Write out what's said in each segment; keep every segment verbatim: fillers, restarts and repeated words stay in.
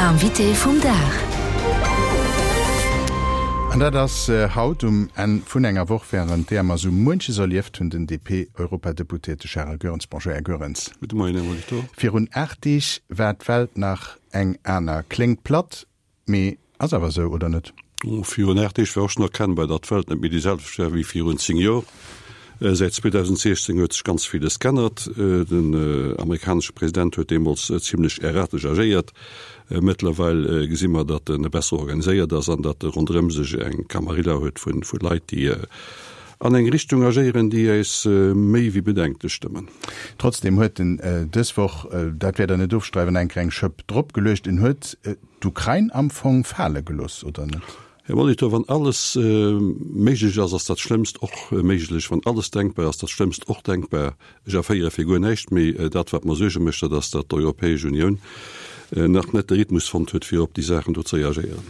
Invité vum Dag. An dat ass haut um Enn vun enger Woch, wärend deeër mer sou muenches erlieft hunn, den D P-Europadeputéierte Charel Goerens. Bonjour, Här Goerens. Gudde Moien, Här Molitor. Virun aacht Deeg war d'Welt nach eng aner. Kléngt platt, mee ass awer sou, oder net? Virun aacht Deeg war och schonn erkennbar, datt d'Welt net méi déi selwecht war wéi virun zéng Joer. Säit zweedausendsiechzéng huet sech ganz villes g'ännert. Den amerikanesche President huet deemools zimlech erratesch agéiert. Mëttlerweil gesi mer, datt en besser organiséiert ass an datt e ronderëm sech eng Camarilla huet vu Leit, déi an eng Richtung agéieren, déi eis méi wéi bedenklech stëmmen. Trotzdeem huet en dës Woch, dat wäert Der net ofstreiden, eng kleng Schëpp dropgeluecht. En huet d'Ukrain am Fong fale gelooss, oder net? Här Molitor, wann alles méiglech ass, ass dat Schlëmmst och méiglech. Wann alles denkbar ass, dat Schlëmmst och denkbar. Ech erféiere fir guer näischt méi. Dat, wat mer Suerge mécht, dat ass, datt d'Europäesch Unioun nach net de Rhythmus fonnt huet, fir op déi Saachen do ze reagéieren.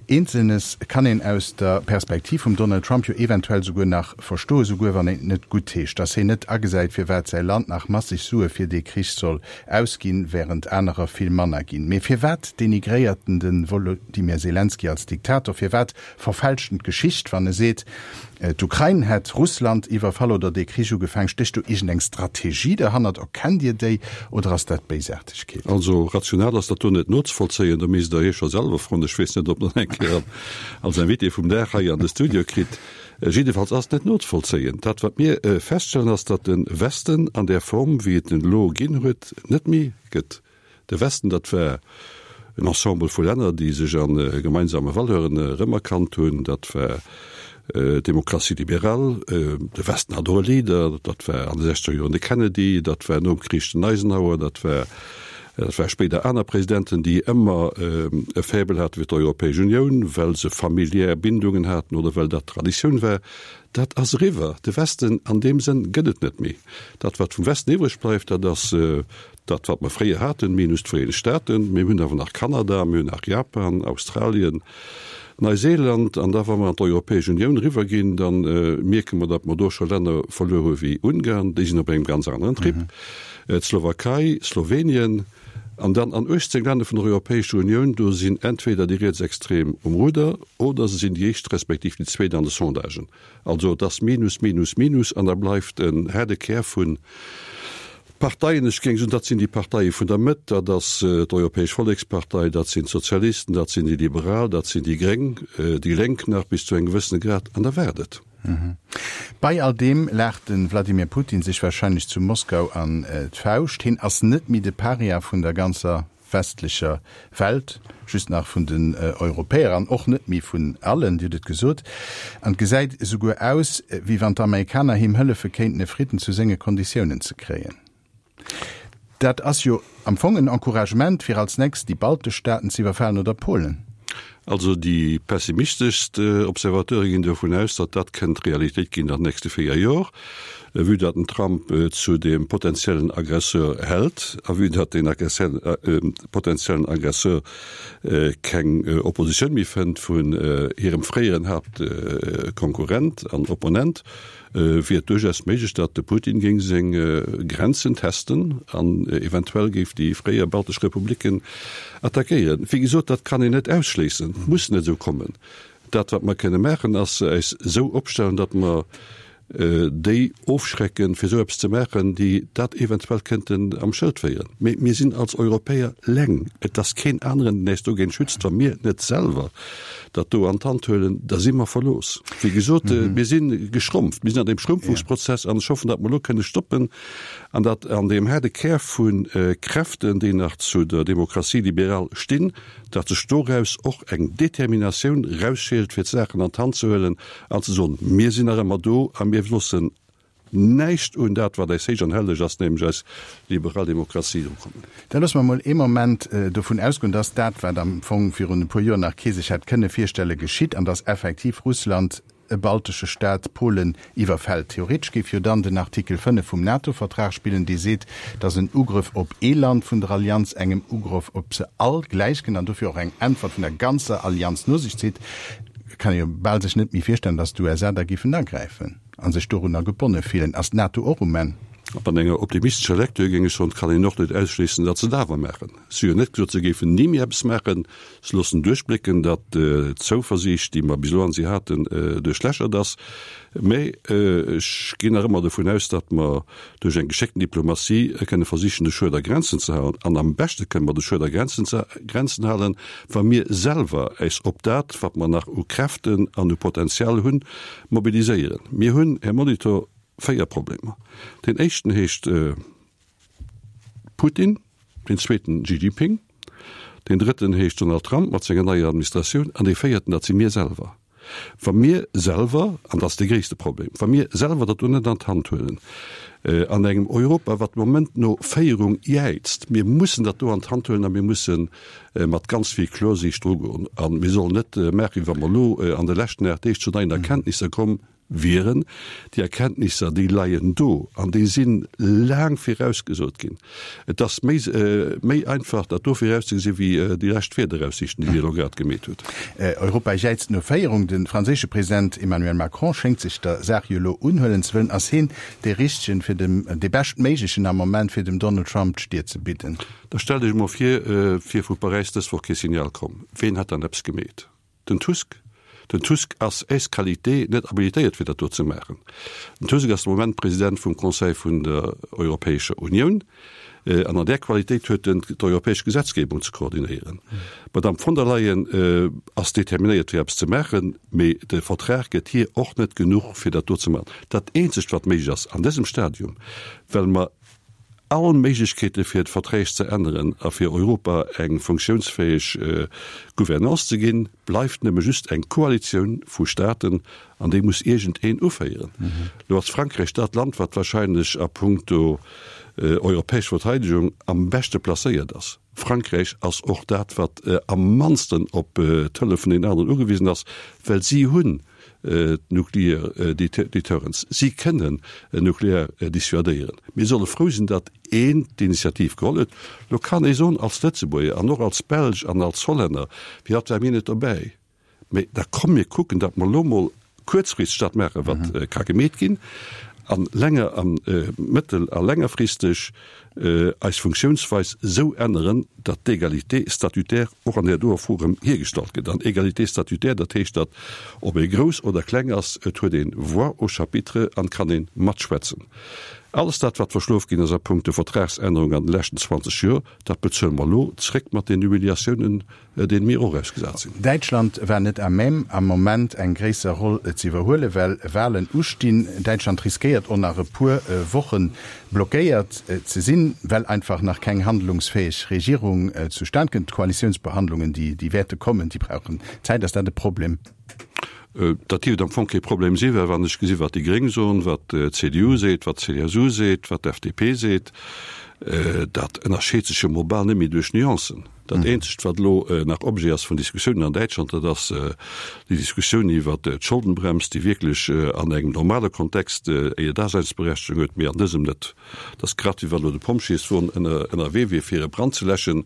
Eenzelnes kann een aus der Perspektiv vum Donald Trump jo eventuell souguer nach verstoen, souguer wann een et net guttheescht, datt hien net agesäit, firwat säi Land nach masseg Sue fir dee Krich soll ausginn, wärend anerer vill manner ginn. Mee firwat denigréiert en de Wolodymyr Selenskyj als Diktator? Firwat verfälscht en d'Geschicht, wann e seet, d'Ukrain hätt Russland iwwerfall oder dee Krich ugefaangen? Stécht do iergendeng Strategie derhannert? Erkennt Dir déi oder ass dat Béisaartegkeet? Also rational ass dat do net nozevollzéien, do misst Der Iech scho selwer froen. Ech weess net, ob Der en eng Kéier als Invité vum Dag hei an de Studio kritt. Jiddefalls ass et net nozevollzéien. Dat wat mir feststellen, ass, datt de Westen an där Form wéi et en elo ginn huet, net méi gëtt. De Westen, dat war en Ensemble vu Länner, déi sech a gemeinsame Valeuren erëmerkannt hunn. Dat war d'Démocratie libérale. De Westen hat och e Leader, dat war an de sechzeger Joren de Kennedy, dat war nom Krich den Eisenhower, dat war dat war spéider aner Presidenten, déi ëmmer e Faible hate fir d'Europäesch Unioun, well se familiär Bindungen haten oder well dat Traditioun war. Dat ass eriwwer. De Westen an deem Sënn gëtt et net méi. Dat, wat vum Westen iwwreg bleift, dat ass dat, wat mer fréier haten, minus d'Vereenegt Staaten. Mir hunn awer nach Kanada, mir hunn nach Japan, Australien, Neuseeland. An da wa mer an d'Europäesch Unioun eriwwerginn, da mierke mer, datt mer do scho Länner verluer hu wéi Ungarn, déi sinn op engem ganz aneren Trip, d'Slowakei, Slowenien. An dann an uechtzéng Länner vun der Europäescher Unioun, do sinn entweder déi Rietsextrem um Rudder oder se sinn déi éischt respektiv déi zweet an de Sondagen. Also et ass Minus, Minus, Minus an da bleift en haarde Kär vu Parteien. Ech géing soen, dat sinn déi Parteie vun der Mëtt, dat ass d'Europäesch Vollekspartei, dat sinn d'Sozialisten, dat sinn déi Liberal, dat sinn déi Gréng, déi Lénk nach bis zu engem gewëssene Grad, an da war et et. Bei all deem laacht de Wladimir Putin sech warscheinlech zu Moskau an d'Fauscht. Hien ass net méi de Paria vun der ganzer westlecher Welt, just nach vun den Europäer an och net méi vun allen, Dir hutt et gesot. An et gesäit esouguer aus, wéi wann d'Amerikaner him hëllefe kéinten, e Fridden zu senge Konditiounen ze kréien. Dat ass jo am Fong en Encouragement, fir als nächst déi baltesch Staaten ze iwwerfalen oder Polen. Also déi pessimisteschst Observateure ginn dovun aus, datt dat kënnt Realitéit ginn an den nächste véier Jor, vue datt den Trump zu dem potenziellen Aggresseur hält a vue datt deen potenziellen Aggresseur keng Oppositioun méi fënnt vun hirem fréieren Haaptkonkurrent an Opponent. Wier et duerchaus méiglech, datt de Putin géing seng Grenzen testen an eventuell géif déi fréier baltesch Republiken attackéieren. Wéi gesot, dat kann een net ausschléissen, et muss net esou kommen. Dat wat mer kënne maachen, ass eis esou opstellen, datt mer déi ofschrecken, fir esou eppes ze maachen, déi dat eventuell kënnten am Schëld féieren. Mee mir sinn als Europäer leng. Et ass keen aneren, deen äis dogéint schützt. Wa mir net selwer dat do an d'Hand huelen, da si mer verlooss. Wéi gesot, mir si geschrumpft, mir sinn an deem Schrumpfungsprozess an ech hoffen, datt mer elo kënne stoppen an datt an deem haarde Kär vu Kräften, déi nach zu der Démocratie libérale stinn, datt sech doraus och eng Determinatioun erausscheelt, fir d'Saachen an d'Hand ze huelen an ze soen, Mir sinn nach ëmmer do a mir loossen näischt un dat, wat eis héich an helleg ass, nämlech eis liberal Demokratie, erukommen. Da loosse mer emol ee Moment dovun ausgoen, dass dat, wat am Fong virun e puer Joer nach kee sech hätt kënne virstellen, geschitt an dass effektiv Russland e baltesche Staat, Polen, iwwerfält. Theoretesch géif jo dann den Artikel fënnef vum NATO-Vertrag spillen, dee seet, dass en Ugrëff op ee Land vun der Allianz engem Ugrëff op se all gläichkënnt an dofir och eng Äntwert vun der ganzer Allianz no sech zitt. Kann ee jo bal sech net méi virstellen, dass d'U S A da géifen agräifen a sech dorunner gebonne fillen. Ass d'NATO och um Enn? Mat enger optimistescher Lecture géing ech soen, et kann een och net ausschléissen, datt se et awer maachen. Si hu jo net gesot, se géifen ni méi eppes maachen. Se loossen duerchblécken, datt d'Zouversiicht, déi mer bis elo an si haten, duerchlächert ass. Mä ech ginn nach ëmmer dovun aus, datt mer duerch eng geschéckten Diplomatie kënne versichen, de Schued a Grenzen ze halen. An am beschte kënne mer de Schued a Grenzen ze Grenzen halen, wa mir selwer äis op dat, wat mer nach u Kräften an u Potenzial hunn, mobiliséieren. Mir hunn, Här Molitor, véier Problemer. Deen éischten heescht Putin, deen zweeten Xi Jinping, deen drëtten heescht Donald Trump mat senger neier Administratioun an dee véierten, dat si mir selwer. Wa mir selwer, an dat ass dee gréisste Problem, wa mir selwer dat do net an d'Hand huelen, an engem Europa, wat de Moment no Féierung jäizt, mir mussen dat do an d'Hand huelen a mir musse mat ganz vill Klorsiicht drugoen. A mir sollen net maachen, wéi wa mer elo an de leschten aacht Deeg zu neien Erkenntnisser komm wieren. Déi Erkenntnisser, déi leien do an déi si laang virausgesot ginn. Et ass méi, méi einfach, dat do virauszegesinn, wéi déi lescht Wiederaussiichten, déi Dir elo grad gemeet hutt. Europa jäizt no Féierung. De franséische President Emmanuel Macron schéngt sech der Saach jo elo unhuelen ze wëllen. Ass hien dee Richtegen, fir dem, dee beschtméiglechen am Moment, fir dem Donald Trump d'Stier ze bidden? Da stellt Iech emol vir, et wier vu Paräis dës Woch kee Signal komm. Ween hätt dann eppes gemeet? Den Tusk? Den Tusk ass ès qualité net habilitéiert fir dat do ze maachen. Den Tusk ass de Moment President vum Conseil vun der Europäescher Unioun an an där Qualitéit huet en d'europäesch Gesetzgebung ze koordinéieren. D'Madame von der Leyen ass determinéiert fir eppes ze maachen, mee de Vertrag gëtt hir och net genuch fir dat do ze maachen. Dat eenzegt wat méiglech ass an dësem Stadium, well mer all Méiglechkeete fir d'Verträg ze änneren a fir Europa eng funktiounsfäeg Gouvernance ze ginn, bleift nëmme just eng Koalitioun vu Staaten, an déi muss iergend een uféieren. Elo ass Frankräich dat Land, wat wahrscheinlech a puncto europäesch Verteidegung am beschte placéiert ass. Frankräich ass och dat, wat am mannsten op d'Hëllef vun den aneren ugewisen ass, well si hunn d'Nuclear Deterrence. Si kënnen nuklear dissuadéieren. Mir solle frou sinn, datt een d'Initiativ geholl huet. Lo kann ee soen, als Lëtzebuerger an och als Belsch an als Hollänner, firwat ware mir net dobäi? Mee da komm mir kucken, datt mer elo mol kuerzfristeg dat maachen, wat ka gemeet ginn, an länger a mëttel a längerfristeg eis Funktiounsweis esou änneren, datt d'Égalité statutaire och an där doer Fro erëm hiergestallt gëtt. An Égalité statutaire, dat heescht, datt, ob ee grouss oder kleng ass, et huet ee Voix au chapitre an kann ee matschwätzen. Alles dat, wat verschlof ginn ass a punkto Vertragsännerung an de leschten zwanzeg Joer, dat bezuele mer elo zréck mat den Humiliatiounen, deene mir och ausgesat sinn. Däitschland war net à même, am Moment eng gréisser Roll ze iwwerhuelen, well Walen ustinn. Däitschland riskéiert och nach e puer Woche blockéiert ze sinn, well einfach nach keng handlungsfäeg Regierung zustan kënnt. D'Koalitiounsbehandlungen, déi wäerte kommen, déi brauchen Zäit. Ass dat e Problem? Dat dierft am Fong kee Problem sinn, well wann ech gesi wat déi Gréng soen, wat d'CDU seet, wat d'CSU seet, wat d'FDP seet, dat ënnerscheet sech jo mol bal net méi duerch Nuancen. Dat eenzegt, wat elo nach Objet ass vun Diskussiounen an Däitschland, dat ass déi Diskussioun iwwert d'Scholdenbrems, déi wierklech an engem normale Kontext hir Daseinsberechtegung huet, mee an dësem net. Et ass grad wéi wa elo de Pompjeeswon ënnerwee wier, fir e Brand ze läschen,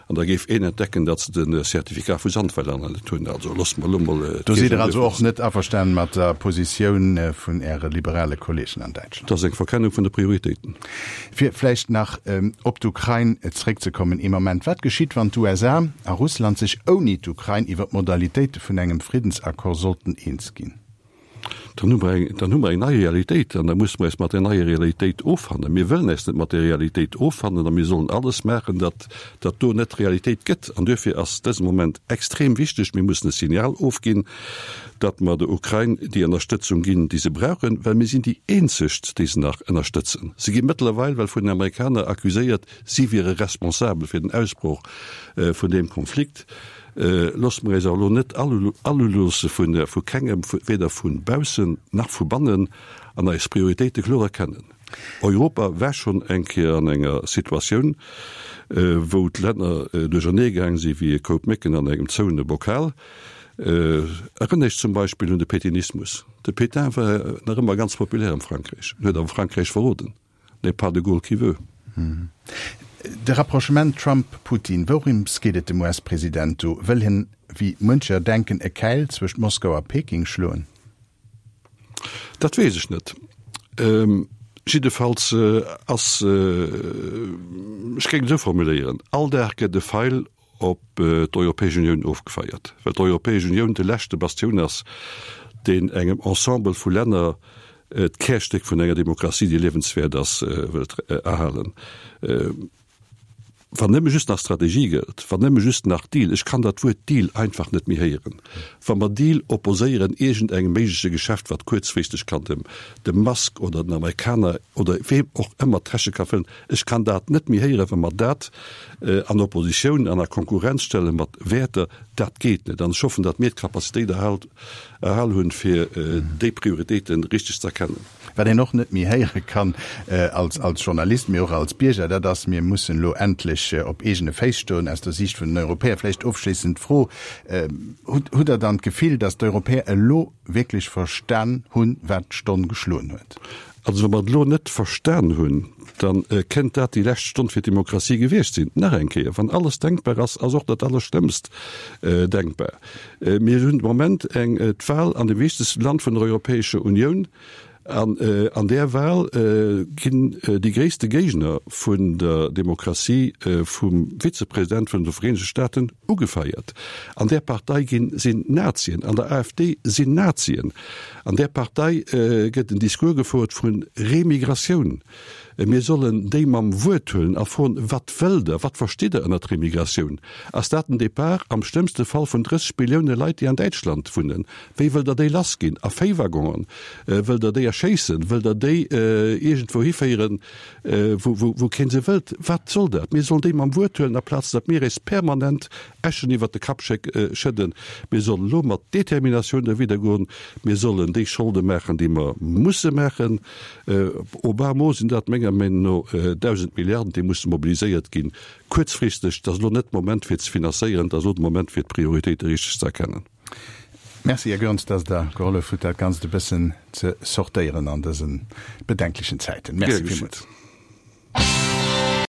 an da géif een entdecken, datt se de Certificat vu Sandweiler nach net hunn. Also loosse mer elo mol Do sidd Der also och net averstanen mat der Positioun vun Äre liberale Kolleegen an Däitschland? Dat ass eng Verkennung vun de Prioritéiten. Fir vläicht nach op d'Ukrain zréckzekommen ee Moment, Wat geschitt, wann d'USA a Russland sech ouni d'Ukrain iwwer d'Modalitéite vun engem Friddensaccord sollten eens ginn? Dann hu mer eng, dann hu mer eng nei Realitéit an da musse mer eis mat där neier Realitéit offannen. Mir wëllen eis net mat där Realitéit offannen a mir sollen alles maachen, datt dat do net Realitéit gëtt. An duerfir ass dëse Moment extrem wichteg. Mir mussen e Signal ofginn, datt mer der Ukrain déi Ënnerstëtzung ginn, déi se brauchen, well mir sinn déi eenzegt, déi se nach ënnerstëtzen. Se gi mëttlerweil well vun den Amerikaner accuséiert, si wiere responsabel fir den Ausbroch vun deem Konflikt. Loosse mer eis awer elo net aluloosse vu kengem, weder vu baussen nach vu bannen, an eis Prioritéite kloer erkennen. Europa war schonn eng Kéier an enger Situatioun, wou d'Länner duerchernee gaang si wéi e Koup Mécken an engem zouene Bokal. Erënner iech zum Beispill un de Pétainismus. De Pétain war nach ëmmer ganz populär am Frankräich, en huet awer Frankräich verroden. N'est pas de Gaulle qui veut. De Rapprochement Trump-Putin, Wourëms geet et dem US-President do? Wëll hien, wéi muncher denken, e Käil zwëscht Moskau a Peking schloen? Dat weess ech net. Ech Jiddefalls ass, ech géing et esou formuléieren, all Dag gëtt e Feil op d'Europäesch Unioun ofgefeiert, well d'Europäesch Unioun de leschte Bastioun ass, deen engem Ensemble vu Länner d'Kärstéck vun enger Demokratie, déi liewenswäert ass, wëllt erhalen. Wann nëmme just nach Strategie gëllt, wann nëmme just nach Deal, ech kann dat Wuert Deal einfach net méi héieren, wa mer Deal opposéieren iergendengem méigleche Geschäft, wat kuerzfristeg kann dem dem Musk oder den Amerikaner oder weem och ëmmer d'Täsche ka fëllen, ech kann dat net méi héieren, wa mer dat an Oppositioun an a Konkurrenz stelle mat Wäerter, dat geet net. An ech hoffen, datt mir d'Capacitéit erhal erhal hunn, fir déi Prioritéite richteg ze erkennen. Wat een och net méi héiere kann als als Journalist, mee och als Bierger, dat ass, Mir mussen elo endlech op eegene Féiss stoen. Aus der Siicht vun den Europäer vläicht ofschléissend d'Fro, Hutt hutt Der dann d'Gefill, datt d'Europäer elo wierklech verstan hunn, wat d'Stonn geschloen huet? Also wa mer et elo net verstan hunn, da kéint dat déi lescht Stonn fir d'Demokratie gewiescht sinn. Nach eng Kéier, wann alles denkbar ass, ass och dat Allerschlëmmst denkbar. Mir hunn de Moment eng d'Wahl an dem wichtegste Land vun der Europäescher Unioun. An an där Wahl ginn déi gréisste Géigner vun der Demokratie vum Vizepresident vun de Vereenegte Staaten ugefeiert. An där Partei ginn sinn Nazien, an der AfD sinn Nazien. An där Partei gëtt en Discours gefouert vu Remigratioun. Mir sollen déi mam Wuert huelen a froen, Wat wëllt Der? Wat verstitt Der ënnert Remigratioun? Ass dat den Depart am schlëmmste Fall vun drësseg Millioune Leit, déi an Däitschland wunnen? Wéi wëllt Der déi lassginn? A Véiwaggonen? Wëllt Der déi erschéissen? Wëllt Der déi iergendwou hiféieren, wou kee se wëllt? Wat soll dat? Mir sollen déi mam Wuert huelen, aplaz datt mir eis permanent Äschen iwwert de Kapp schëdden. Mir sollen elo mat Determinatioun derwidder goen. Mir sollen déi Scholde maachen, déi mer musse maachen. Au bas mot sinn dat menger Meenung no dausend Milliarden, déi musse mobiliséiert ginn, kuerzfristeg. Et ass elo net de Moment fir ze finanzéieren, et ass elo de Moment fir d'Prioritéite richteg ze erkennen. Merci, Här Goerens, dass Der gehollef hutt, dat Ganzt e bëssen ze sortéieren an dëse bedenklechen Zäiten. Merci villmools.